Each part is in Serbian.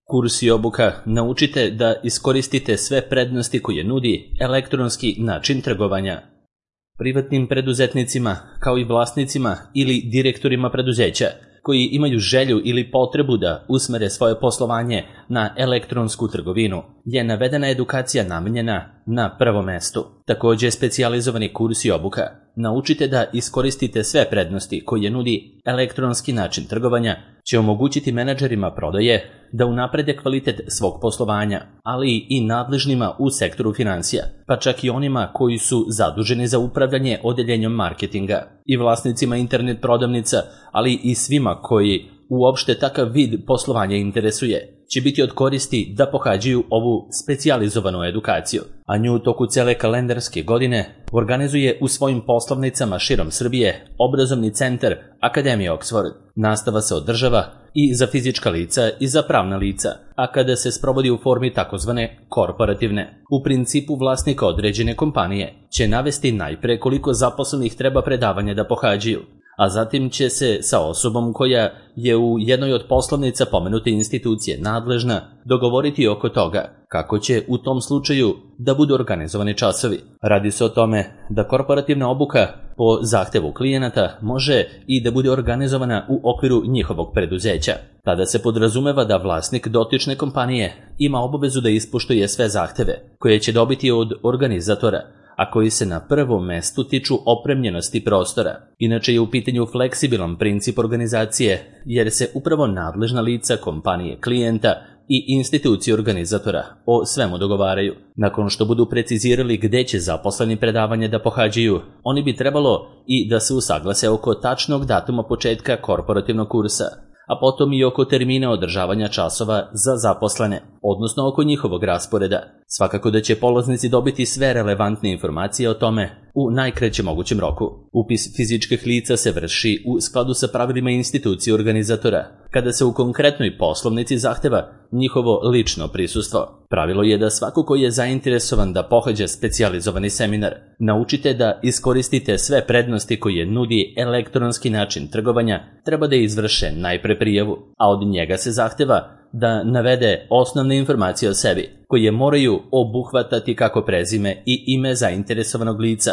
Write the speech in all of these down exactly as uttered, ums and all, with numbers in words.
Kurs i obuka naučite da iskoristite sve prednosti koje nudi elektronski način trgovanja. Privatnim preduzetnicima, kao i vlasnicima ili direktorima preduzeća, koji imaju želju ili potrebu da usmere svoje poslovanje na elektronsku trgovinu, je navedena edukacija namenjena na prvom mestu. Također, specijalizovani kurs i obuka naučite da iskoristite sve prednosti koje nudi elektronski način trgovanja će omogućiti menadžerima prodaje da unaprede kvalitet svog poslovanja, ali i nadležnima u sektoru financija, pa čak i onima koji su zaduženi za upravljanje odeljenjem marketinga i vlasnicima internet prodavnica, ali i svima koji uopšte takav vid poslovanja interesuje, će biti od koristi da pohađaju ovu specijalizovanu edukaciju, a nju u toku cele kalendarske godine organizuje u svojim poslovnicama širom Srbije obrazovni centar Akademije Oxford. Nastava se održava i za fizička lica i za pravna lica, a kada se sprovodi u formi takozvane korporativne. U principu vlasnika određene kompanije će navesti najpre koliko zaposlenih treba predavanja da pohađaju, a zatim će se sa osobom koja je u jednoj od poslovnica pomenute institucije nadležna dogovoriti oko toga kako će u tom slučaju da budu organizovani časovi. Radi se o tome da korporativna obuka po zahtevu klijenata može i da bude organizovana u okviru njihovog preduzeća. Tada se podrazumeva da vlasnik dotične kompanije ima obavezu da ispoštuje sve zahteve koje će dobiti od organizatora, a koji se na prvom mestu tiču opremljenosti prostora. Inače je u pitanju fleksibilan princip organizacije, jer se upravo nadležna lica kompanije klijenta i institucije organizatora o svemu dogovaraju. Nakon što budu precizirali gde će zaposleni predavanje da pohađaju, oni bi trebalo i da se usaglase oko tačnog datuma početka korporativnog kursa, a potom i oko termina održavanja časova za zaposlene, odnosno oko njihovog rasporeda. Svakako da će polaznici dobiti sve relevantne informacije o tome u najkraćem mogućem roku. Upis fizičkih lica se vrši u skladu sa pravilima institucije organizatora, kada se u konkretnoj poslovnici zahteva njihovo lično prisustvo. Pravilo je da svako ko je zainteresovan da pohađa specijalizovani seminar, naučite da iskoristite sve prednosti koje nudi elektronski način trgovanja, treba da izvrše najpre prijavu, a od njega se zahteva da navede osnovne informacije o sebi, koje moraju obuhvatati kako prezime i ime zainteresovanog lica,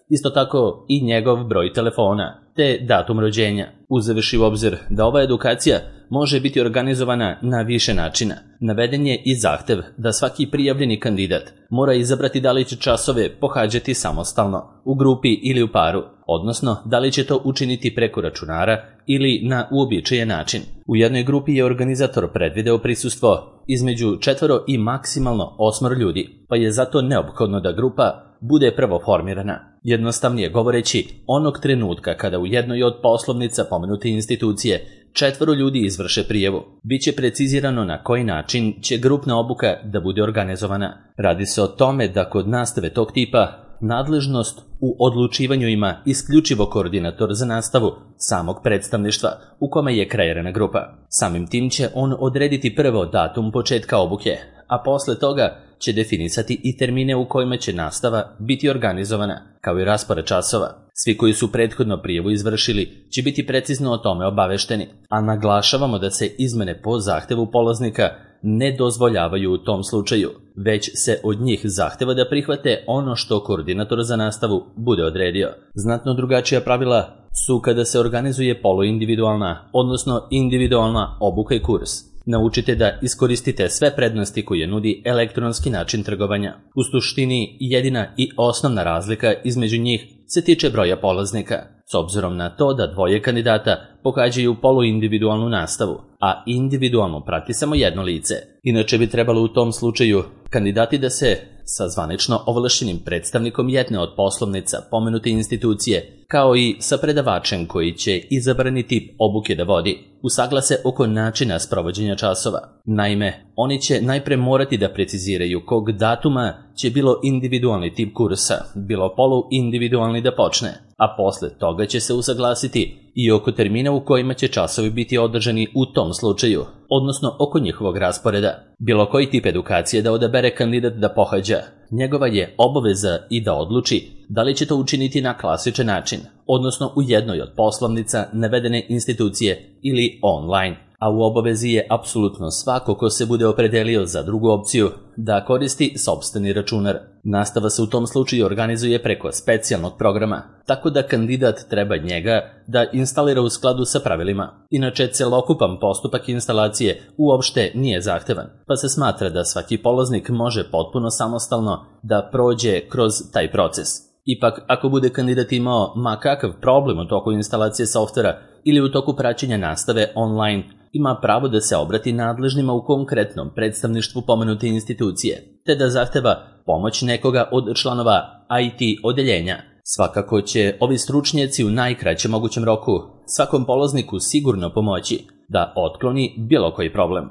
isto tako i njegov broj telefona, te datum rođenja. Uzevši u obzir da ova edukacija može biti organizovana na više načina, naveden je i zahtev da svaki prijavljeni kandidat mora izabrati da li će časove pohađati samostalno, u grupi ili u paru, odnosno da li će to učiniti preko računara ili na uobičajen način. U jednoj grupi je organizator predvideo prisustvo između četvoro i maksimalno osmoro ljudi, pa je zato neophodno da grupa bude prvo formirana. Jednostavnije govoreći, onog trenutka kada u jednoj od poslovnica pomenute institucije četvoro ljudi izvrše prijavu, bit će precizirano na koji način će grupna obuka da bude organizovana. Radi se o tome da kod nastave tog tipa nadležnost u odlučivanju ima isključivo koordinator za nastavu samog predstavništva u kome je kreirana grupa. Samim tim će on odrediti prvo datum početka obuke, a posle toga će definisati i termine u kojima će nastava biti organizovana, kao i raspored časova. Svi koji su prethodno prijavu izvršili će biti precizno o tome obavešteni, a naglašavamo da se izmene po zahtevu polaznika ne dozvoljavaju u tom slučaju, već se od njih zahteva da prihvate ono što koordinator za nastavu bude odredio. Znatno drugačija pravila su kada se organizuje poluindividualna, odnosno individualna obuka i kurs. Naučite da iskoristite sve prednosti koje nudi elektronski način trgovanja. U suštini, jedina i osnovna razlika između njih se tiče broja polaznika, s obzirom na to da dvoje kandidata pohađaju poluindividualnu nastavu, a individualno prati samo jedno lice. Inače bi trebalo u tom slučaju kandidati da se sa zvanično ovlašćenim predstavnikom jedne od poslovnica pomenute institucije, kao i sa predavačem koji će izabrani tip obuke da vodi, usaglase oko načina sprovođenja časova. Naime, oni će najpre morati da preciziraju kog datuma će bilo individualni tip kursa, bilo poluindividualni da počne, a posle toga će se usaglasiti i oko termina u kojima će časovi biti održani u tom slučaju, odnosno oko njihovog rasporeda. Bilo koji tip edukacije da odabere kandidat da pohađa, njegova je obaveza i da odluči da li će to učiniti na klasičan način, odnosno u jednoj od poslovnica navedene institucije ili online. a u obavezi je apsolutno svako ko se bude opredelio za drugu opciju da koristi sopstveni računar. Nastava se u tom slučaju organizuje preko specijalnog programa, tako da kandidat treba njega da instalira u skladu sa pravilima. Inače, celokupan postupak instalacije uopšte nije zahtevan, pa se smatra da svaki polaznik može potpuno samostalno da prođe kroz taj proces. Ipak, ako bude kandidat imao ma kakav problem u toku instalacije softvera ili u toku praćenja nastave online, ima pravo da se obrati nadležnima u konkretnom predstavništvu pomenute institucije, te da zahteva pomoć nekoga od članova I T odeljenja. Svakako će ovi stručnjaci u najkraćem mogućem roku svakom polazniku sigurno pomoći da otkloni bilo koji problem.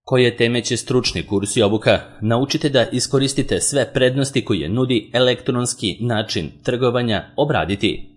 Koje teme će stručni kurs i obuka? Naučite da iskoristite sve prednosti koje nudi elektronski način trgovanja obraditi.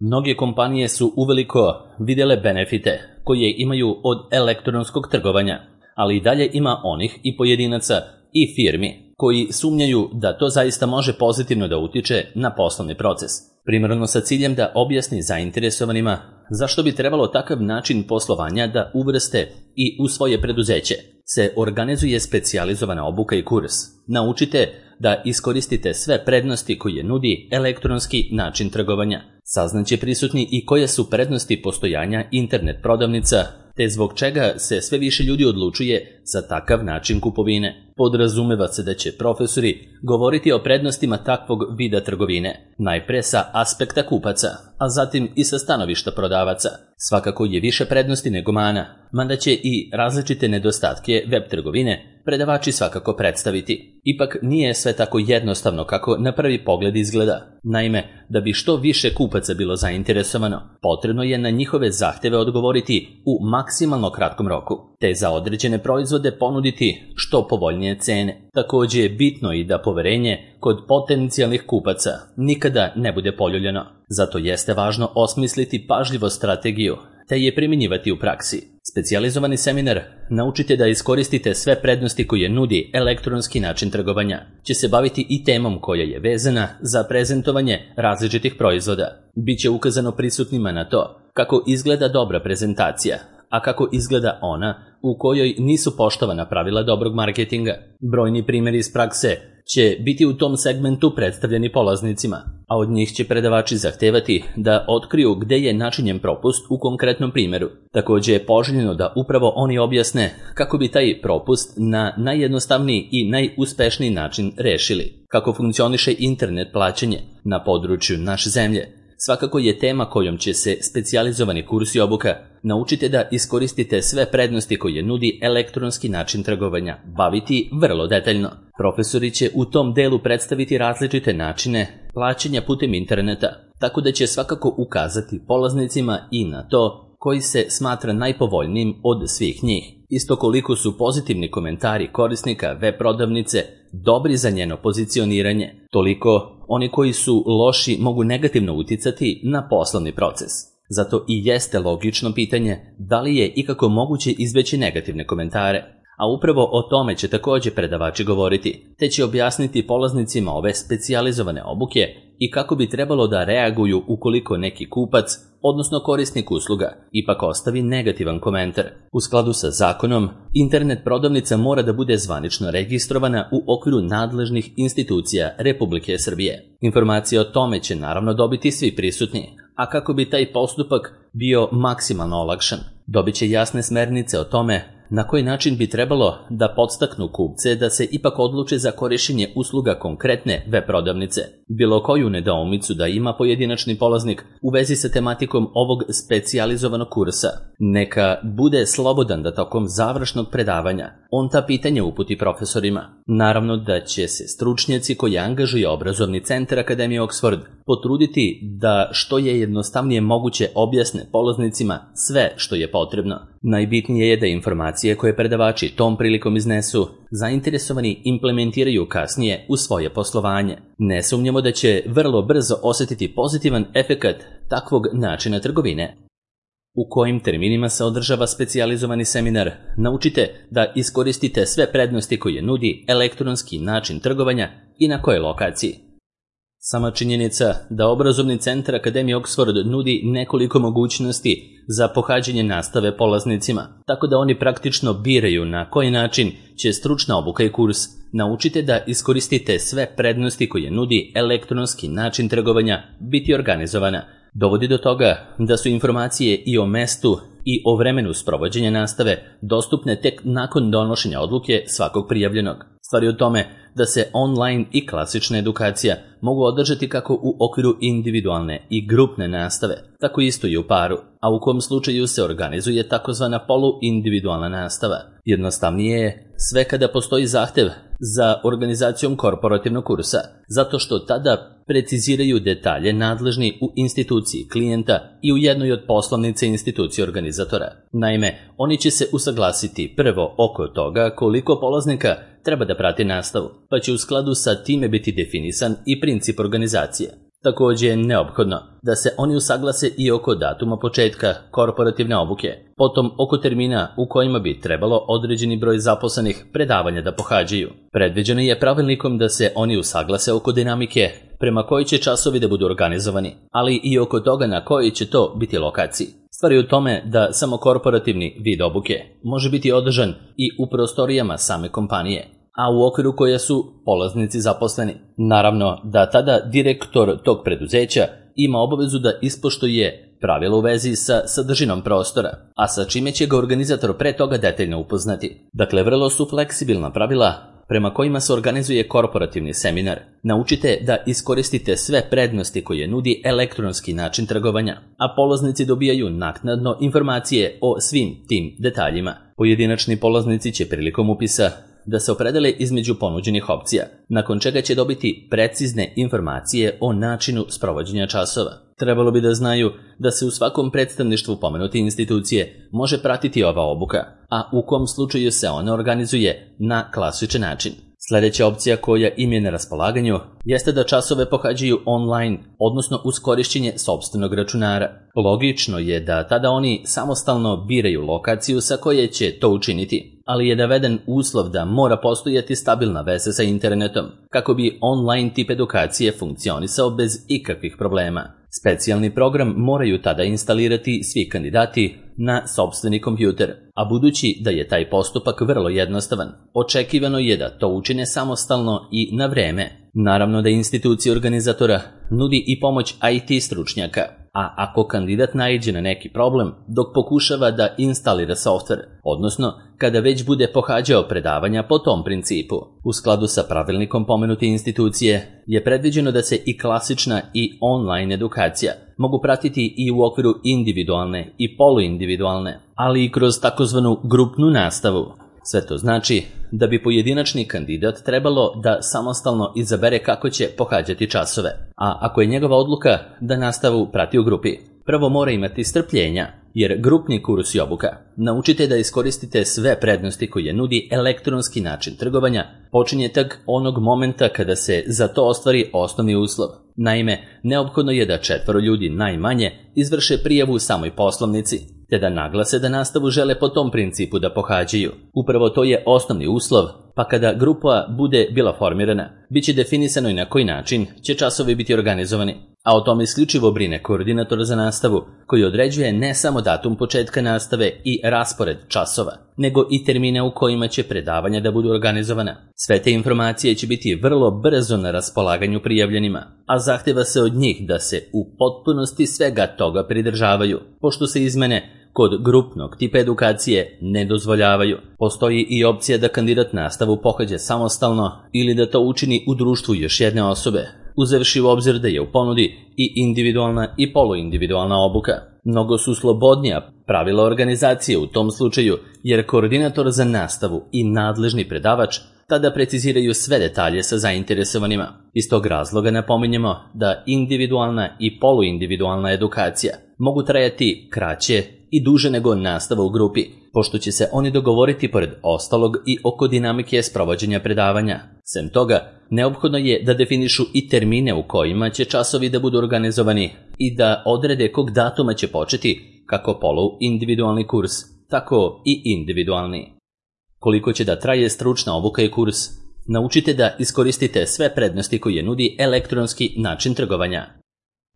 Mnoge kompanije su uveliko vidjele benefite koje imaju od elektronskog trgovanja, ali i dalje ima onih i pojedinaca i firmi koji sumnjaju da to zaista može pozitivno da utiče na poslovni proces, primarno sa ciljem da objasni zainteresovanima zašto bi trebalo takav način poslovanja da uvrste i u svoje preduzeće. Se organizuje specijalizovana obuka i kurs. Naučite da iskoristite sve prednosti koje nudi elektronski način trgovanja. Saznaće prisutni i koje su prednosti postojanja internet prodavnica, te zbog čega se sve više ljudi odlučuje za takav način kupovine. Podrazumeva se da će profesori govoriti o prednostima takvog vida trgovine, najpre sa aspekta kupaca, a zatim i sa stanovišta prodavaca. Svakako je više prednosti nego mana, mada će i različite nedostatke web trgovine predavači svakako predstaviti. Ipak nije sve tako jednostavno kako na prvi pogled izgleda. Naime, da bi što više kupaca bilo zainteresovano, potrebno je na njihove zahteve odgovoriti u maksimalno kratkom roku, te za određene proizvode ponuditi što povoljnije cene. Također je bitno i da poverenje kod potencijalnih kupaca nikada ne bude poljuljano. Zato jeste važno osmisliti pažljivo strategiju, te je primjenjivati u praksi. Specijalizovani seminar Naučite da iskoristite sve prednosti koje nudi elektronski način trgovanja će se baviti i temom koja je vezana za prezentovanje različitih proizvoda. Biće ukazano prisutnima na to kako izgleda dobra prezentacija, a kako izgleda ona u kojoj nisu poštovana pravila dobrog marketinga. Brojni primjeri iz prakse će biti u tom segmentu predstavljeni polaznicima, a od njih će predavači zahtevati da otkriju gde je načinjen propust u konkretnom primjeru. Također je poželjno da upravo oni objasne kako bi taj propust na najjednostavniji i najuspešniji način rešili. Kako funkcioniše internet plaćanje na području naše zemlje svakako je tema kojom će se specijalizovani kurs i obuka Naučite da iskoristite sve prednosti koje nudi elektronski način trgovanja baviti vrlo detaljno. Profesori će u tom delu predstaviti različite načine plaćanja putem interneta, tako da će svakako ukazati polaznicima i na to koji se smatra najpovoljnijim od svih njih. Isto koliko su pozitivni komentari korisnika web prodavnice dobri za njeno pozicioniranje, toliko oni koji su loši mogu negativno uticati na poslovni proces. Zato i jeste logično pitanje da li je ikako moguće izbeći negativne komentare, a upravo o tome će također predavači govoriti, te će objasniti polaznicima ove specijalizovane obuke i kako bi trebalo da reaguju ukoliko neki kupac, odnosno korisnik usluga, ipak ostavi negativan komentar. U skladu sa zakonom, internet prodavnica mora da bude zvanično registrovana u okviru nadležnih institucija Republike Srbije. Informacije o tome će naravno dobiti svi prisutni, a kako bi taj postupak bio maksimalno olakšan, dobit će jasne smernice o tome na koji način bi trebalo da podstaknu kupce da se ipak odluče za korišćenje usluga konkretne web prodavnice. Bilo koju nedoumicu da ima pojedinačni polaznik u vezi sa tematikom ovog specijalizovanog kursa, neka bude slobodan da tokom završnog predavanja on ta pitanja uputi profesorima. Naravno da će se stručnjaci koji angažuje obrazovni centar Akademije Oxford potruditi da što je jednostavnije moguće objasne polaznicima sve što je potrebno. Najbitnije je da informacije koje predavači tom prilikom iznesu, zainteresovani implementiraju kasnije u svoje poslovanje. Ne sumnjamo da će vrlo brzo osjetiti pozitivan efekat takvog načina trgovine. U kojim terminima se održava specijalizovani seminar? Naučite da iskoristite sve prednosti koje nudi elektronski način trgovanja i na kojoj lokaciji. Sama činjenica da obrazovni centar Akademije Oxford nudi nekoliko mogućnosti za pohađanje nastave polaznicima, tako da oni praktično biraju na koji način će stručna obuka i kurs naučite da iskoristite sve prednosti koje nudi elektronski način trgovanja biti organizovana, dovodi do toga da su informacije i o mestu i o vremenu sprovođenja nastave dostupne tek nakon donošenja odluke svakog prijavljenog. Stvar je u tome da se online i klasična edukacija mogu održati kako u okviru individualne i grupne nastave, tako isto i u paru, a u kom slučaju se organizuje takozvana poluindividualna nastava. Jednostavnije je sve kada postoji zahtev za organizacijom korporativnog kursa, zato što tada preciziraju detalje nadležni u instituciji klijenta i u jednoj od poslovnice institucije organizatora. Naime, oni će se usaglasiti prvo oko toga koliko polaznika treba da prati nastavu, pa će u skladu sa time biti definisan i princip organizacije. Također je neophodno da se oni usaglase i oko datuma početka korporativne obuke, potom oko termina u kojima bi trebalo određeni broj zaposlenih predavanja da pohađaju. Predviđeno je pravilnikom da se oni usaglase oko dinamike prema kojoj će časovi da budu organizovani, ali i oko toga na kojoj će to biti lokaciji. Stvar je u tome da samo korporativni vid obuke može biti održan i u prostorijama same kompanije, a u okviru koje su polaznici zaposleni. Naravno da tada direktor tog preduzeća ima obavezu da ispoštuje pravila u vezi sa sadržinom prostora, a sa čime će ga organizator pre toga detaljno upoznati. Dakle, vrlo su fleksibilna pravila prema kojima se organizuje korporativni seminar. Naučite da iskoristite sve prednosti koje nudi elektronski način trgovanja, a polaznici dobijaju naknadno informacije o svim tim detaljima. Pojedinačni polaznici će prilikom upisa da se opredele između ponuđenih opcija, nakon čega će dobiti precizne informacije o načinu sprovođenja časova. Trebalo bi da znaju da se u svakom predstavništvu pomenute institucije može pratiti ova obuka, a u kom slučaju se ona organizuje na klasičan način. Sljedeća opcija koja im je na raspolaganju jeste da časove pohađaju online, odnosno uz korišćenje sopstvenog računara. Logično je da tada oni samostalno biraju lokaciju sa koje će to učiniti, ali je naveden uslov da mora postojati stabilna veza sa internetom, kako bi online tip edukacije funkcionisao bez ikakvih problema. Specijalni program moraju tada instalirati svi kandidati na sopstveni kompjuter, a budući da je taj postupak vrlo jednostavan, očekivano je da to učine samostalno i na vreme. Naravno da institucija organizatora nudi i pomoć I T stručnjaka, a ako kandidat naiđe na neki problem dok pokušava da instalira softver, odnosno kada već bude pohađao predavanja po tom principu. U skladu sa pravilnikom pomenute institucije je predviđeno da se i klasična i online edukacija mogu pratiti i u okviru individualne i poluindividualne, ali i kroz takozvanu grupnu nastavu. Sve to znači da bi pojedinačni kandidat trebalo da samostalno izabere kako će pohađati časove, a ako je njegova odluka da nastavu prati u grupi, prvo mora imati strpljenja, jer grupni kurs i obuka naučite da iskoristite sve prednosti koje nudi elektronski način trgovanja počinje tak onog momenta kada se za to ostvari osnovni uslov. Naime, neophodno je da četvoro ljudi najmanje izvrše prijavu u samoj poslovnici, te da naglase da nastavu žele po tom principu da pohađaju. Upravo to je osnovni uslov, pa kada grupa bude bila formirana, bit će definisano i na koji način će časovi biti organizovani, a o tome isključivo brine koordinator za nastavu, koji određuje ne samo datum početka nastave i raspored časova, nego i termine u kojima će predavanja da budu organizovana. Sve te informacije će biti vrlo brzo na raspolaganju prijavljenima, a zahteva se od njih da se u potpunosti svega toga pridržavaju, pošto se izmene kod grupnog tipa edukacije ne dozvoljavaju. Postoji i opcija da kandidat nastavu pohađa samostalno ili da to učini u društvu još jedne osobe, uzevši u obzir da je u ponudi i individualna i poluindividualna obuka. Mnogo su slobodnija pravila organizacije u tom slučaju, jer koordinator za nastavu i nadležni predavač tada preciziraju sve detalje sa zainteresovanima. Iz tog razloga napominjemo da individualna i poluindividualna edukacija mogu trajati kraće i duže nego nastava u grupi, pošto će se oni dogovoriti pored ostalog i oko dinamike sprovođenja predavanja. Sem toga, neophodno je da definišu i termine u kojima će časovi da budu organizovani i da odrede kog datuma će početi kako poluindividualni kurs, tako i individualni. Koliko će da traje stručna obuka i kurs, Naučite da iskoristite sve prednosti koje nudi elektronski način trgovanja.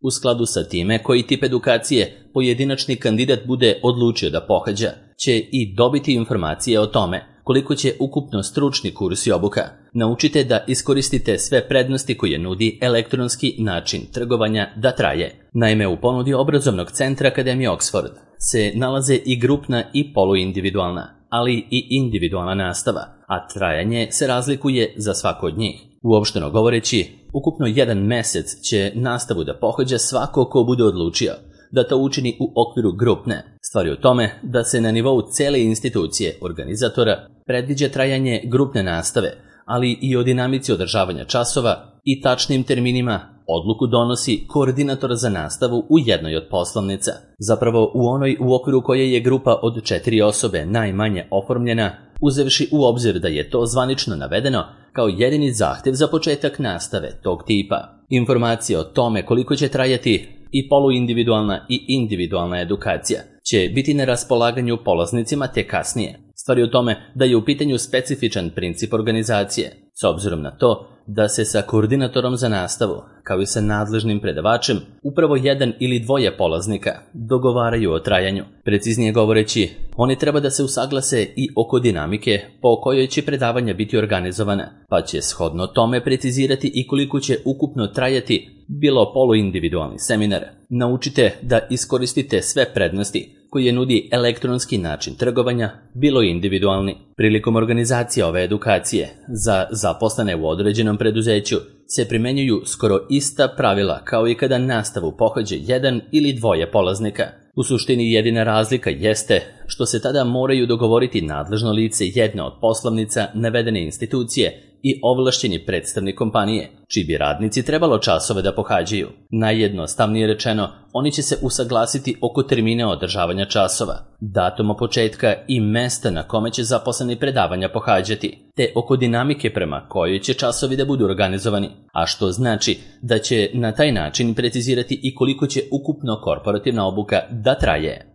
U skladu sa time koji tip edukacije pojedinačni kandidat bude odlučio da pohađa, će i dobiti informacije o tome koliko će ukupno stručni kurs i obuka. Naučite da iskoristite sve prednosti koje nudi elektronski način trgovanja da traje. Naime, u ponudi obrazovnog centra Akademije Oxford se nalaze i grupna i poluindividualna, ali i individualna nastava, a trajanje se razlikuje za svako od njih. Uopšteno govoreći, ukupno jedan mesec će nastavu da pohađa svako ko bude odlučio da to učini u okviru grupne. Stvar je u tome da se na nivou cele institucije organizatora predviđa trajanje grupne nastave, ali i o dinamici održavanja časova i tačnim terminima odluku donosi koordinator za nastavu u jednoj od poslovnica. Zapravo u onoj u okviru koje je grupa od četiri osobe najmanje oformljena, uzevši u obzir da je to zvanično navedeno kao jedini zahtev za početak nastave tog tipa. Informacije o tome koliko će trajati i poluindividualna i individualna edukacija će biti na raspolaganju polaznicima te kasnije. Stvar je u tome da je u pitanju specifičan princip organizacije, s obzirom na to da se sa koordinatorom za nastavu, kao i sa nadležnim predavačem, upravo jedan ili dvoje polaznika dogovaraju o trajanju. Preciznije govoreći, oni treba da se usaglase i oko dinamike po kojoj će predavanja biti organizovana, pa će shodno tome precizirati i koliko će ukupno trajati bilo poluindividualni seminar. Naučite da iskoristite sve prednosti koje nudi elektronski način trgovanja, bilo individualni. Prilikom organizacije ove edukacije za zaposlene u određenom preduzeću se primenjuju skoro ista pravila kao i kada nastavu pohađa jedan ili dvoje polaznika. U suštini jedina razlika jeste što se tada moraju dogovoriti nadležno lice jedne od poslovnica navedene institucije i ovlašćeni predstavnik kompanije, čiji bi radnici trebalo časove da pohađaju. Najjednostavnije rečeno, oni će se usaglasiti oko termina održavanja časova, datuma početka i mesta na kome će zaposleni predavanja pohađati, te oko dinamike prema kojoj će časovi da budu organizovani, a što znači da će na taj način precizirati i koliko će ukupno korporativna obuka da traje.